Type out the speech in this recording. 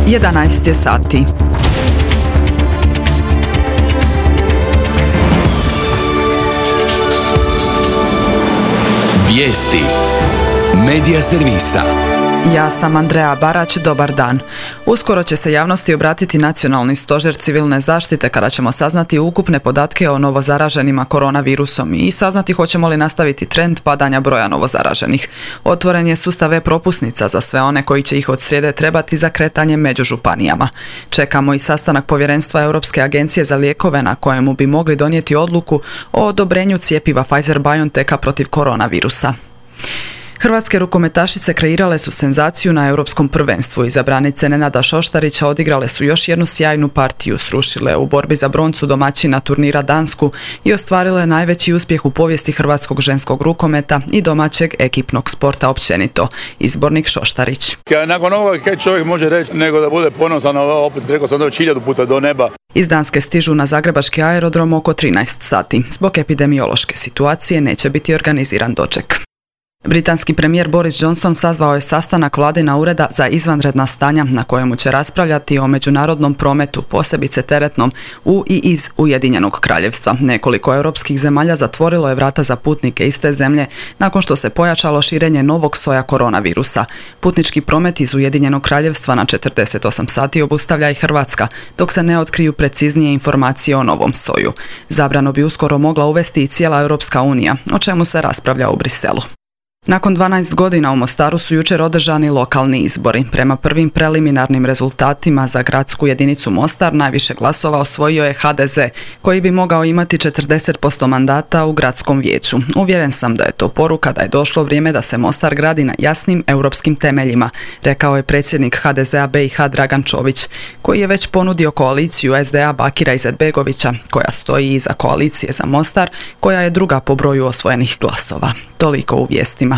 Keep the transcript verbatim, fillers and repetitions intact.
jedanaest je sati. Vijesti Medija servisa. Ja sam Andreja Barać, dobar dan. Uskoro će se javnosti obratiti Nacionalni stožer civilne zaštite kada ćemo saznati ukupne podatke o novozaraženima koronavirusom i saznati hoćemo li nastaviti trend padanja broja novozaraženih. Otvoren je sustav e-propusnica za sve one koji će ih od srijede trebati za kretanje među županijama. Čekamo i sastanak povjerenstva Europske agencije za lijekove na kojemu bi mogli donijeti odluku o odobrenju cjepiva Pfizer-BioNTecha protiv koronavirusa. Hrvatske rukometašice kreirale su senzaciju na europskom prvenstvu. Izabranice Nenada Šoštarića odigrale su još jednu sjajnu partiju, srušile u borbi za broncu domaćina turnira Dansku i ostvarile najveći uspjeh u povijesti hrvatskog ženskog rukometa i domaćeg ekipnog sporta općenito. Izbornik Šoštarić. Nakon ovoga kaj čovjek može reći nego da bude ponosan, opet rekao sam da već hiljadu puta do neba. Iz Danske stižu na zagrebački aerodrom oko trinaest sati. Zbog epidemiološke situacije neće biti organiziran doček. Britanski premijer Boris Johnson sazvao je sastanak vladina ureda za izvanredna stanja na kojemu će raspravljati o međunarodnom prometu, posebice teretnom, u i iz Ujedinjenog kraljevstva. Nekoliko europskih zemalja zatvorilo je vrata za putnike iz te zemlje nakon što se pojačalo širenje novog soja koronavirusa. Putnički promet iz Ujedinjenog kraljevstva na četrdeset osam sati obustavlja i Hrvatska, dok se ne otkriju preciznije informacije o novom soju. Zabranu bi uskoro mogla uvesti i cijela Europska unija, o čemu se raspravlja u Briselu. Nakon dvanaest godina u Mostaru su jučer održani lokalni izbori. Prema prvim preliminarnim rezultatima za gradsku jedinicu Mostar najviše glasova osvojio je ha de ze, koji bi mogao imati četrdeset posto mandata u gradskom vijeću. Uvjeren sam da je to poruka da je došlo vrijeme da se Mostar gradi na jasnim europskim temeljima, rekao je predsjednik ha de zea be i ha Dragan Čović, koji je već ponudio koaliciju es de a Bakira Izetbegovića, koja stoji iza koalicije za Mostar, koja je druga po broju osvojenih glasova. Toliko u vijestima.